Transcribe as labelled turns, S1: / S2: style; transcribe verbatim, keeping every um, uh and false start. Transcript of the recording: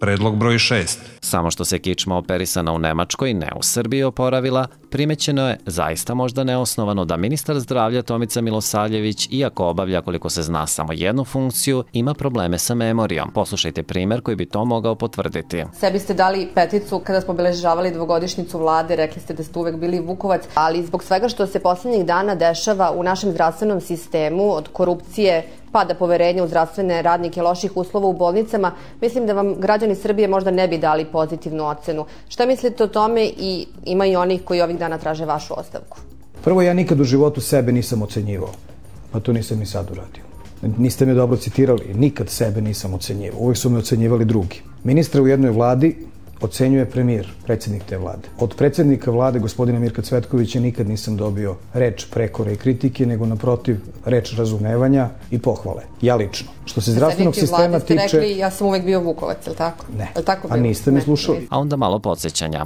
S1: Predlog broj šest.
S2: Samo što se kičma operisana u Nemačkoj, ne u Srbiji, oporavila, primećeno je zaista možda neosnovano da ministar zdravlja Tomica Milosavljević, iako obavlja koliko se zna samo jednu funkciju, ima probleme sa memorijom. Poslušajte primer koji bi to mogao potvrditi.
S3: Sebi ste dali peticu kada smo obeležavali dvogodišnjicu vlade, rekli ste da ste uvek bili Vukovac, ali zbog svega što se poslednjih dana dešava u našem zdravstvenom sistemu, od korupcije, pada poverenja u zdravstvene radnike, loših uslova u bolnicama, mislim da vam građani Srbije možda ne bi dali pozitivnu ocenu. Šta mislite o tome i ima i onih koji ovih dana traže vašu ostavku?
S4: Prvo, ja nikad u životu sebe nisam ocenjivao, pa to nisam ni sad uradio. Niste me dobro citirali, nikad sebe nisam ocenjivao, uvek su me ocenjivali drugi. Ministra u jednoj vladi ocenjuje premijer, predsjednik te vlade. Od predsjednika vlade, gospodina Mirka Cvetkovića, nikad nisam dobio reč prekore i kritike, nego naprotiv reč razumevanja i pohvale. Ja lično. Što se zdravstvenog sistema tiče...
S3: Ste rekli, ja sam uvek bio Vukovac, je li tako?
S4: Ne,
S3: je li tako
S4: a niste me slušali.
S2: A onda malo podsjećanja.